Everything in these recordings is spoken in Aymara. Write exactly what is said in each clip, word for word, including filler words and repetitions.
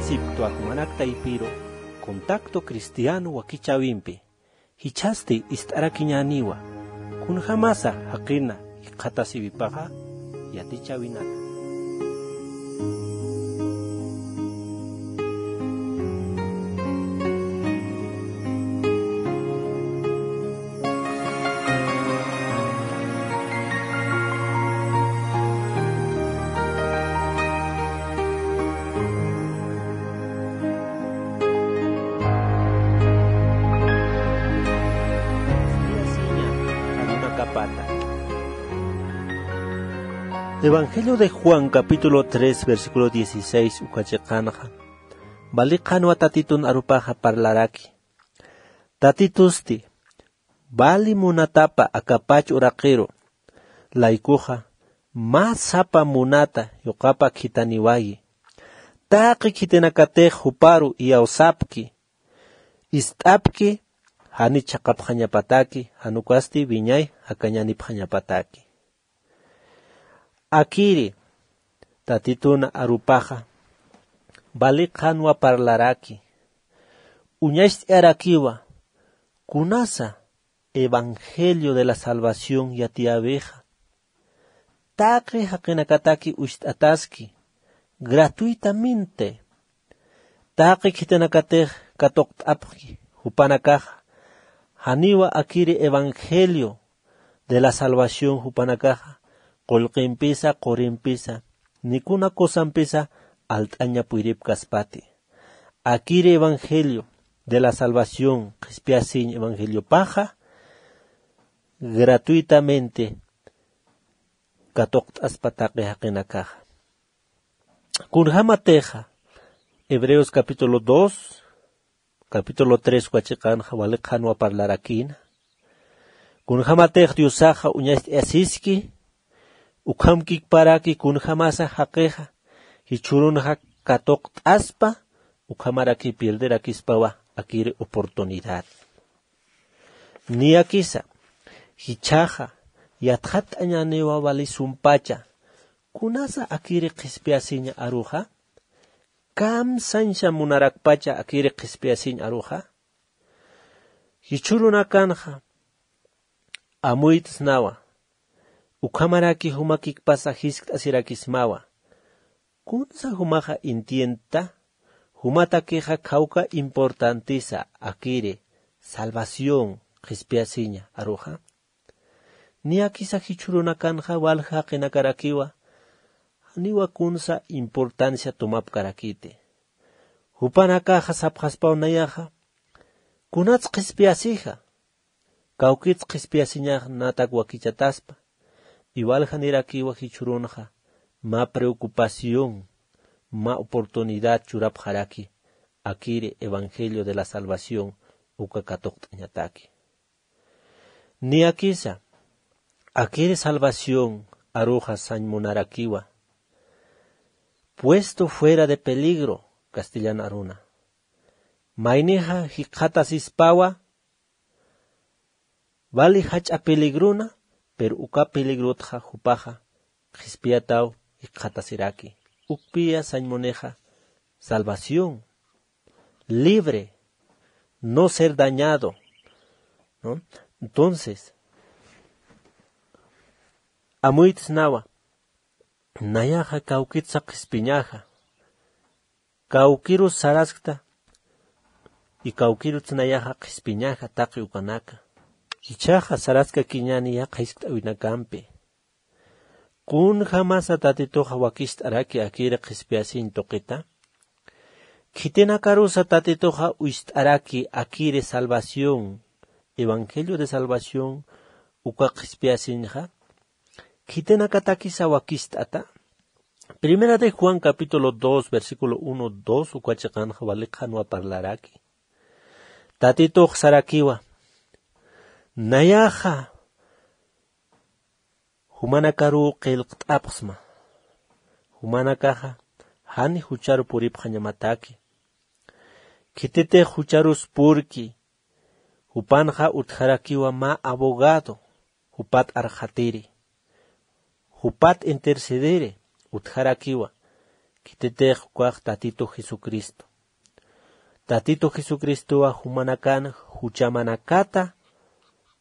Sipktwa jumanak taypiru, contacto cristiano wakichäwimpi. Jichhasti ist'arakiñäniwa, kunjamasa jaqina jikxatasiwipaxa yatichäwinaka. Evangelio de Juan, capítulo tres, versículo dieciséis, uka chiqanxa, vali qhanwa Tatitun arupaxa parlaraki. Tatitusti, vali munatapa akapach uraqiru, laykuxa, mä sapa munata yuqapa khithaniwayi. Taqi khitinakatix juparu iyawsapki, ist'apki, jani chhaqapxañapataki, jan ukasti wiñay jakañänipxañapataki. Akiri, Tatitun arupaxa, vali qhanwa parlaraki. Uñacht'arakiwa, kunasa evangelio de la salvación yatiyäwixa. Taqi jaqinakataki ucht'ataski, gratuitamente. Taqi khitinakatix katuqt'apxi jupanakaxa, janiwa akiri evangelio de la salvación jupanakaxa, qullqimpisa, qurimpisa, ni kuna cosampisa alt'aña puyripkaspati. Akiri evangelio de la salvación, qhispiyasiñ evangeliopaxa, gratuitamente katuqt'aspa taqi jaqinakaxa. Kunjamatixa, Hebreos capítulo dos, capítulo tres uka chiqanxa wali qhanwa parlarakïna. Kunjamatix Diosaxa uñacht'ayasiski, ukhamkikparaki kunjamasa jaqixa, jichhürunxa katuqt'aspa, ukhamaraki pierderakispawa akiri oportunidad. Niyakisa, jichhaxa, yatxatt'añäniwa vali sumpacha, kunasa akiri qhispiyasiña aruxa, kamsañsa munarakpacha akiri qhispiyasiñ aruxa. Jichhürunakanxa, amuyt'snawa, ukhamaraki jumakikpasa jiskt'asirakismawa. Kunsa jumaxa entiendta, jumatakixa khawka importantisa akiri, salvación, qhispiyasiña aruxa. Niyakisa jichhürunakanxa walja jaqinakarakiwa, janiwa kunsa importancia tomapkarakiti. Jupanakaxa sapxaspaw nayaxa, kunats qhispiyasixa, kawkits qhispiyasiñax natak wakichataspa, iwal janirakiwa jichhürunxa, mä preocupación, mä oportunidad churapxaraki, akiri evangelio de la salvación, uka katuqt'añataki. Niyakisa, akiri salvación aruxa sañ munarakiwa. Puesto fuera de peligro, castellan aruna. Maynixa jikxatasispawa, vali jach'a peligrona, pero uka peligrotxa jupaxa qhispiyataw jikxatasiraki. Ukpiya sañ munixa salvación, libre, no ser dañado, ¿no? Entonces, amuyt'snawa, nayaxa kawkitsa qhispiñaxa, kawkirus saraskta, y kawkiruts nayaxa qhispiñaxa taqi ukanaka. Jichhaxa saraskakiñäni yaqha jiskt'äwinakampi. Kunjamasa Tatituxa wakist'araki akiri qhispiyasiñ tuqita? Khitinakarusa Tatituxa ucht'araki akiri salvación, evangelio de salvación, uka qhispiyasiñxa? Khitinakatakisa wakist'ata? Primera de Juan capítulo dos, versículo uno, dos, uka chiqanxa wali qhanwa parlaraki. Tatitux sarakiwa, nayaxa jumanakaruw qillqt'apxsma. Jumanakaxa jan jucharu puripxañamataki. Khititix jucharus purki, jupanxa utjarakiwa mä abogado, jupat arxatiri, jupat intercederi, utjarakiwa. Khititix ukax Tatitu Jesucristo. Tatitu Jesucristowa jumanakan juchamanakata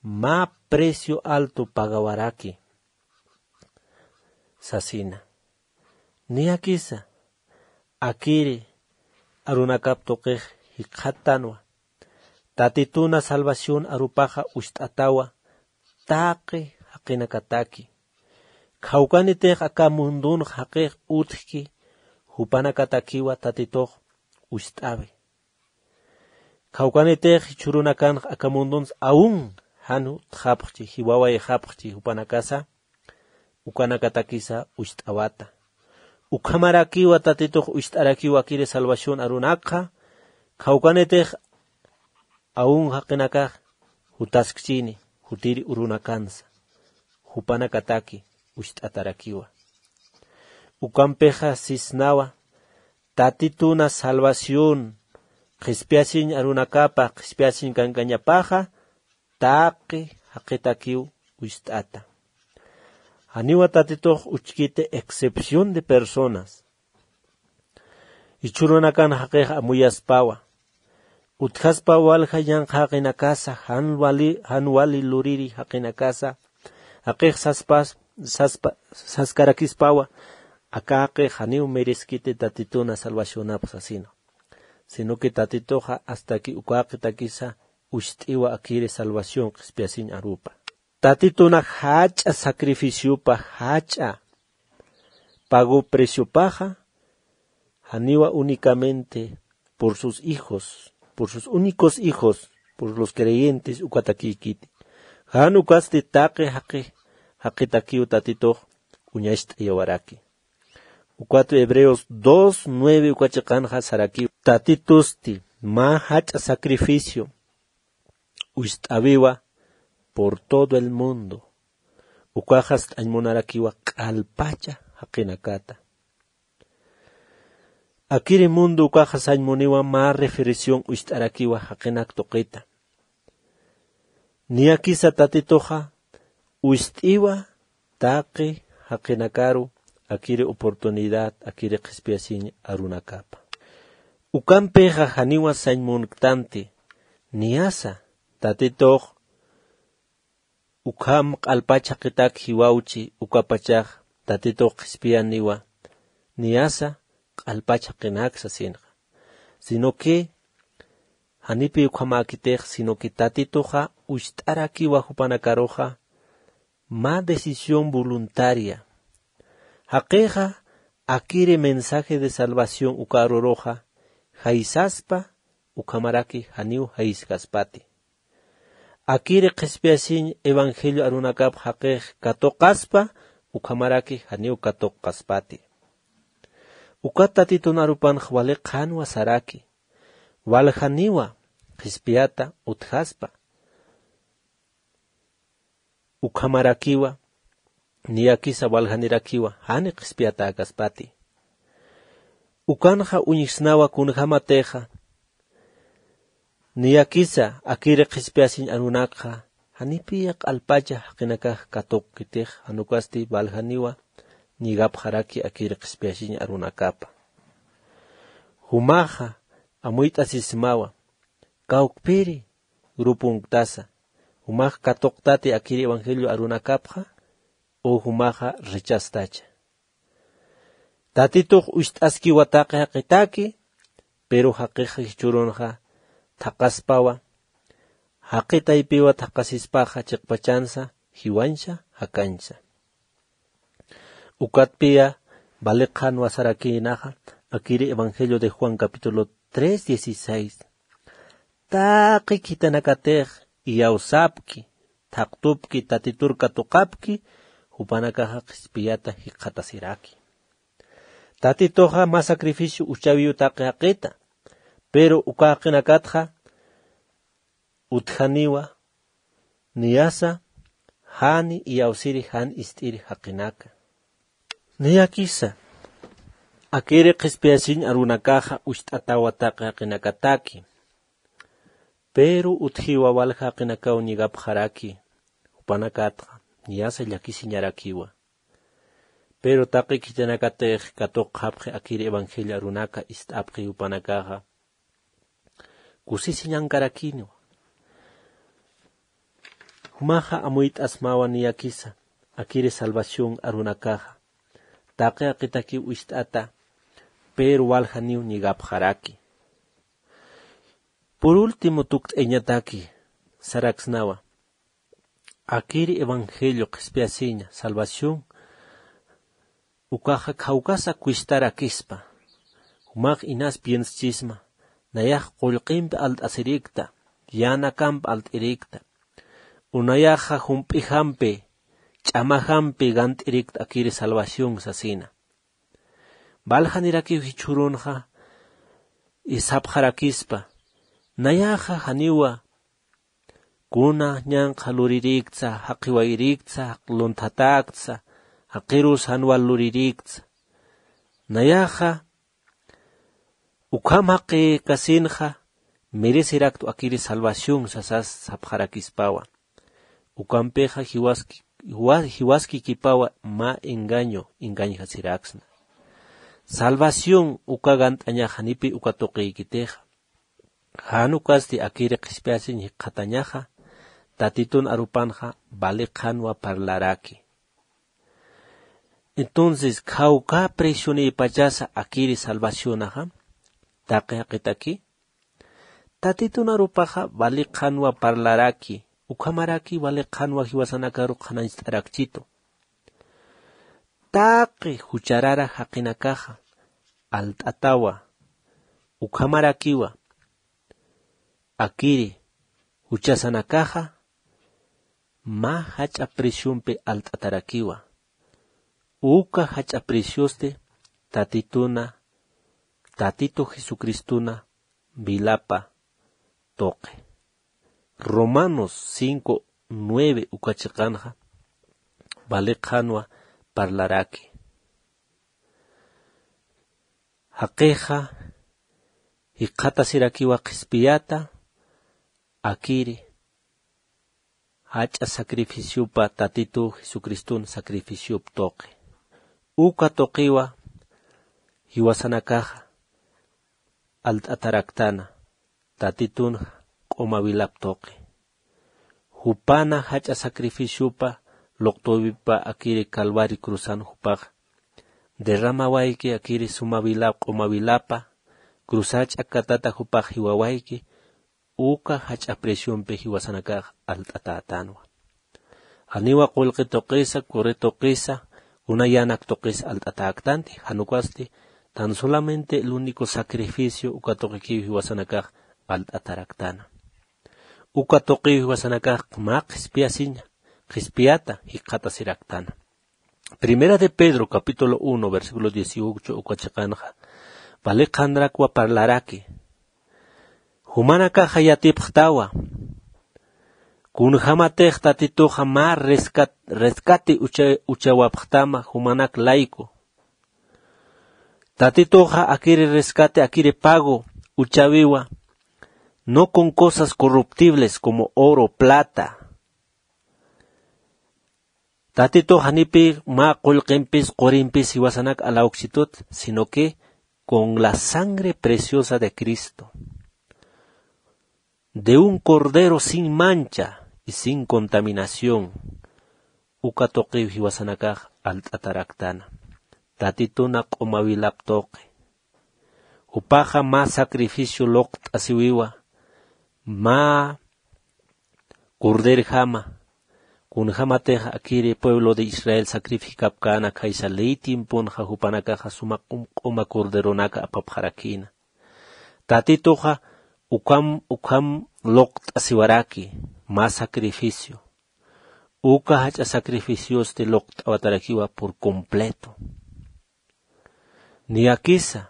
mä precio alto pagawaraki sasina. Niyakisa, akiri arunakap tuqix jikxattanwa. Tatituna salvación arupaxa ucht'atawa taqi jaqinakataki. Khawkanitix aka mundunx jaqix utjki, jupanakatakiwa Tatitux ucht'awi. Khawkanitix jichhürunakanx aka mundunsa aún jan utjapxchi, jiwawayxapxchi jupanakasa, ukanakatakisa ucht'awata. Ukhamarakiwa Tatitux ucht'arakiwa akiri salvación arunakxa, khawkanitix aún jaqinakax jutaskchini, jutiri urunakansa, jupanakataki ucht'atarakiwa. Ukampixa sisnawa, Tatituna salvación qhispiyasiñ arunakapa, qhispiyasiñ kankañapaxa, taqi jaqitakiw ucht'ata. Janiwa Tatitux uchkiti excepción de personas. Jichhürunakan jaqix amuyaspawa. Utjaspa walja yanqha jaqinakasa, jan wali, jan wali luriri jaqinakasa, jaqix saspas, saspa, saskarakispawa, aka jaqix janiw mereskiti Tatituna salvacionap sasina. Sino que Tatituxa hasta que uka jaqitakisa ucht'iwa akiri salvación qhispiyasiñ arupa. Tatituna jach'a sacrificiopa, jach'a pago preciopaxa, janiwa únicamente por sus hijos, por sus únicos hijos, por los creyentes ukatakïkiti. Jan ukasti taqi jaqi, jaqitakiw Tatitux uñacht'ayawaraki. Ukat Hebreos dos nueve uka chiqanxa sarakiw. Tatitusti mä jach'a sacrificio ucht'awiwa por todo el mundo. Ukaxa st'añ munarakiwa q'alpacha jaqinakata. Akiri mundo ukaxa sañ muniwa mä reflexión ucht'arakiwa jaqinak tuqita. Niyakisa Tatituxa ucht'iwa taqi jaqinakaru akiri oportunidad, akiri qhispiyasiñ arunakapa. Ukampixa janiwa sañ munktanti, niyasa Tatitux ukham q'alpach jaqitak jiwawchi, ukapachax Tatitux qhispiyaniwa, niyasa q'alpach jaqinak sasinxa. Sino que janipi ukhamäkitix, sino que Tatituxa ucht'arakiwa jupanakaruxa, mä decisión voluntaria. Jaqixa akiri mensaje de salvación uka aruruxa, jaysaspa, ukhamaraki janiw jayskaspati. Akiri qhispiyasiñ evangelio arunakap jaqix katuqaspa, ukhamaraki janiw katuqaspati. Ukat Tatitun arupanx wali qhanwa saraki. Waljaniwa qhispiyata utjaspa. Ukhamarakiwa, niyakisa waljanirakiwa, jani qhispiyatäkaspati. Ukanxa uñjsnawa kunjämatixa, niyakisa akiri qhispiyasiñ arunakxa, janipiya q'alpacha jaqinakax katuqkitix, jan ukasti waljaniwa ñigapxaraki akiri qhispiyasiñ arunakapa. Jumaxa amuyt'asismawa, kawkpiri grupunktasa, jumax katuqtati akiri evangelio arunakapxa, o jumaxa rechastacha. Tatitux ucht'askiwa taqi jaqitaki, pero jaqixa jichhürunxa thaqaspawa, jaqi taypiwa thaqasispaxa chiqpachansa, jiwañsa, jakañsa. Ukatpiya, vali qhanwa sarakïnaxa, akiri Evangelio de Juan capítulo tres dieciséis. Taqi khitinakatix iyawsapki, thaqtupki, Tatitur katuqapki, jupanakaxa qhispiyata jikxatasiraki. Tatituxa mä sacrificio uchawiw taqi jaqita, pero uka jaqinakatxa utjaniwa, niyasa, jani iyawsiri jan ist'iri jaqinaka. Niyakisa, akiri qhispiyasiñ arunakaxa ucht'atawa taqi jaqinakataki. Pero utjiwa walja jaqinakaw ñigapxaraki, jupanakatxa, niyasa llakisiñarakiwa. Pero taqi khithanakatix katuqxapxi akir evangelio arunaka ist'apxi jupanakaxa kusisiñankarakiniwa. Jumaxa amuyt'asmawa niyakisa akiri salvación arunakaxa taqi jaqitakiw ist'ata, pero waljaniw ñigapxaraki. Por último tukt'ayañataki saraksnawa akiri evangelio qhispiyasiña salvación ukaxa khawkasa cuestarakispa. Jumax inas piensachisma nayax qullqimpi alt'asirikta, yänakampi alt'irikta, u nayaxa jump'ijampi ch'amajampi gant'irikta akiri salvación sasina. Valjanirakiw jichhürunxa isapxarakispa nayaxa janiwa kuna ñanqha lurirïktsa, jaqiwayrïktsa, lunthatäktsa, jaqirus jan wal lurirïktsa. Nayaxa ukham jaqïkasinxa merecerakta akiri salvación sasas sapxarakispawa. Ukampixa jiwaski jiwaskikipawa mä engaño engañjasiraksna. Salvación uka gant'añax janipi uka tuqïkitixa. Jan ukasti akiri qhispiyasiñ jikxatañaxa tatitun arupanxa vali qhanwa parlaraki. Entonces khawka precionïpachasa akiri salvacionaxa taqi jaqitaki tatitun arupaxa vali qhanwa parlaraki. Ukhamaraki vali qhanwa jiwasanakaru qhanañcht'arakchitu. Taqi jucharara jaqinakaxa alt'atawa. Ukhamarakiwa akiri juchasanakaxa mä jach'a preciompi alt'atarakiwa. Uka jach'a preciosti tatituna tatitu jesucristuna vilapa tuqi. Romanos cinco nueve uka chiqanxa vali qhanwa parlaraki. Jaqixa jikxatasirakiwa qhispiyata akiri jach'a sacrificiopa tatitu jesucristun sacrificiop tuqi. Uka tuqiwa jiwasanakaxa alt'ataraktana tatitun q'uma vilap tuqi. Jupana jach'a sacrificiopa luqt'äwipa akiri calvari cruzan jupax derramawayki akiri suma vilap q'uma vilapa cruzach'a katata jupax jiwawayki. Uka jach'a preciompi jiwasanakax alt'atätanwa. Janiwa qullqi tuqisa, curri tuqisa, kuna yänak tuqisa alt'atäktanti, jan ukasti tan solamente el único sacrificio uka tuqikiw jiwasanakax alt'ataraktana. Uka tuqiw jiwasanakax mä qhispiyasiña qhispiyata jikxatasiraktana. Primera de Pedro capítulo uno versículo dieciocho uka chiqanxa vali qhanrakwa parlaraki. Jumanakaxa yatipxtawa kunjämatix tatituxa mä rescate uchawapxtama jumanak layku. Tatituxa akiri rescate akiri pago uchawiwa no con cosas corruptibles como oro, plata. Tatitux janipï mä qullqimpis qurimpis jiwasanak alawksitut sino que con la sangre preciosa de cristo, de un cordero sin mancha y sin contaminación. Uka tuqiw jiwasanakax alt'ataraktana tatituna q'uma wilap tuqi. Jupaxa mä sacrificio luqt'asiwiwa mä corderjama. Kunjämatix akiri pueblo de israel sacrificapkäna khaysa ley tiemponxa jupanakaxa suma q'uma corderonaka apapxarakïna. Tatituxa ukham ukham luqt'asiwaraki mä sacrificio. Uka jach'a sacrificiosti luqt'awatarakiwa por completo. Niyakisa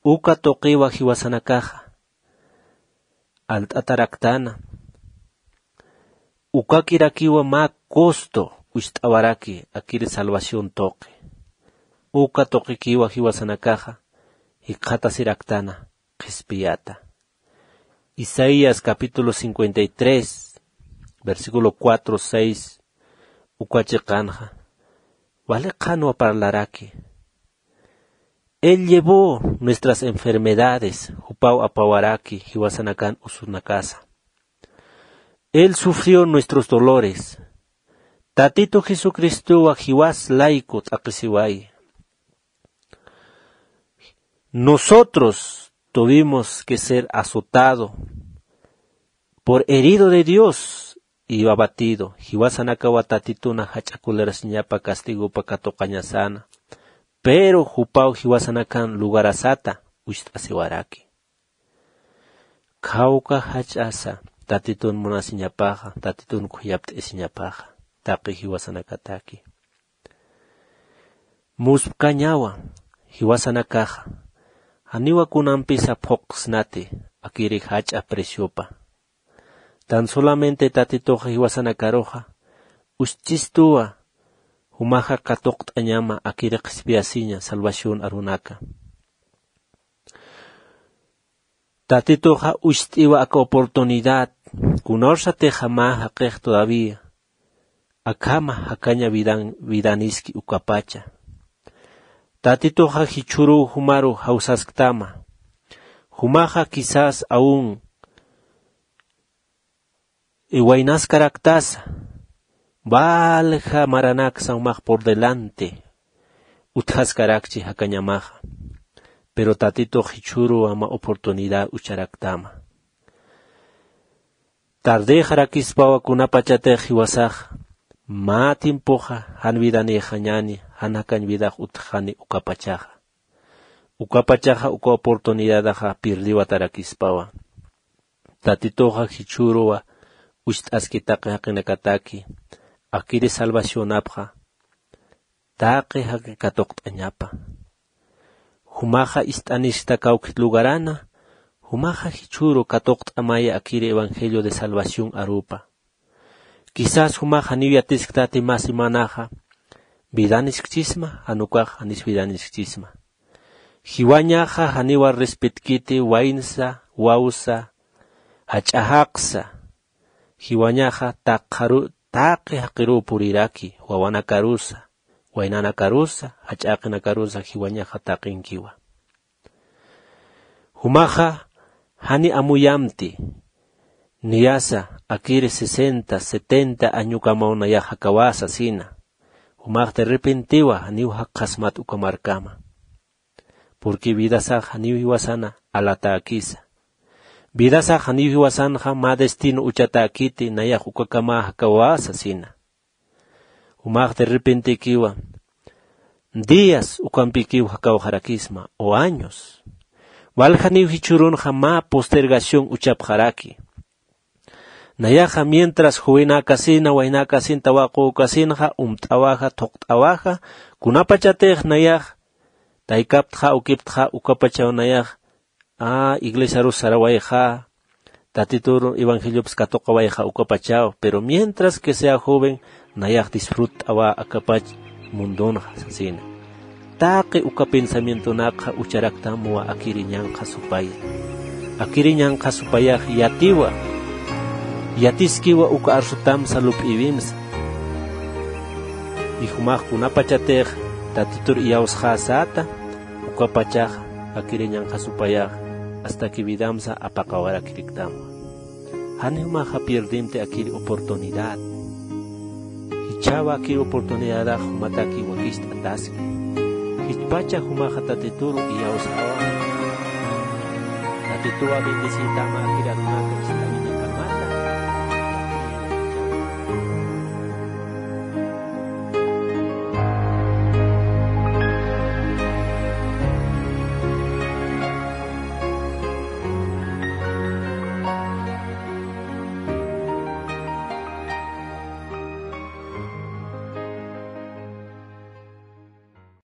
uka tuqiwa jiwasanakaxa alt'ataraktana. Ukakirakiwa mä costo wist'awaraki akiri salvación tuqi. Uka tuqikiwa jiwasanakaxa jikxatasiraktana qhispiyata. Isaías capítulo cincuenta y tres versículo cuatro seis uka chiqanxa vale qhanwa parlaraki. Él llevó nuestras enfermedades, jupaw apawaraki jiwasanakan usunakasa. Él sufrió nuestros dolores. Tatitu Jesucristowa jiwas layku t'aqhisiwayi. Nosotros tuvimos que ser azotado, por herido de Dios y abatido. Jiwasanakawa Tatituna jach'a colerasiñapa castigopa katuqañasana. Pero jupaw jiwasanakan lugarasata ucht'asiwaraki. Khawka jach'asa Tatitun munasiñapaxa, Tatitun khuyapt'isiñapaxa, taqi jiwasanakataki. Muspkañawa jiwasanakaxa, janiwa kunampisa phuqsnati akiri jach'a preciopa. Tan solamente Tatituxa jiwasanakaruxa ucht'istuwa, jumaxa katuqt'añama akiri qhispiyasiña salvación arunaka. Tatituxa ucht'iwa aka oportunidad, kunawsatixa mä jaqix todavía, akhama jakaña vidan, vidaniski ukapacha. Tatituxa jichhüruw jumaru jawsasktama. Jumaxa quizás aún iwaynaskaraktasa, valja maranaksa jumax por delante utjaskarakchi jakañamaxa. Pero Tatitux jichhüruw ama oportunidad ucharaktama. Tardexarakispawa kunapachatix jiwasaxa, mä tiempoxa jan vidanïxañäni, jan jakañ vidax utjxani ukapachaxa. Ukapachaxa uka oportunidadaxa pierdiwatarakispawa. Tatituxa jichhüruwa ucht'aski taqi jaqinakataki, akiri salvacionapxa taqi jaqi katuqt'añapa. Jumaxa ist'aniskta kawkit lugarana, jumaxa jichhüru katuqt'amaya akiri evangelio de salvación arupa. Quizás jumax janiw yatisktati mä semanaxa, vidaniskchisma, jan ukax janis vidaniskchisma. Jiwañaxa janiwa respetkiti waynsa, wawsa, jach'a jaqsa. Jiwañaxa taqi jaqiruw puriraki, wawanakarusa, waynanakarusa, jach'a jaqinakarusa jiwañaxa taqinkiwa. Jumaxa jani amuyamti, niyasa akiri sesenta, setenta añokamaw nayax jakawasa sina. Jumax derrepentiwa janiw jakxasmat uka markama. Porque vidasax janiw jiwasana alatäkisa. Vidasax janiw jiwasanxa mä destino uchatäkiti nayax ukakama jakawasa sina. Jumax derrepentekiwa días ukampikiw jakawxarakisma o años. Waljaniw jichhürunxa mä postergación uchapxaraki. Nayaxa mientras juwinakasina, waynakasin, tawaqükasinxa, umt'awaxa, thuqt'awaxa, kunapachatix nayax taykaptxa, ukiptxa, ukapachaw nayax a iglesiarus sarawayxa, Tatitur evangeliopis katuqawayxa ukapachaw, pero mientras que sea joven, nayax disfrutt'awa akapach mundonxa sasina. Taqi uka pensamientonakxa ucharaktamwa akiri ñanqha supaya. Akiri ñanqha supayax yatiwa, yatiskiwa uka arsutamsa lup'iwimsa. Y jumax kunapachatix Tatitur iyawsxäsäta, ukapachax akiri ñanqha supayax, hasta que vidamsa apaqawarakiriktamwa. Jan jumaxa pierdimti akiri oportunidad. Jichhawa akiri oportunidadax jumataki wakicht'ataski. Jichpacha jumaxa Tatituru iyawsxawa. Tatituwa bendecitama akiri arunaka.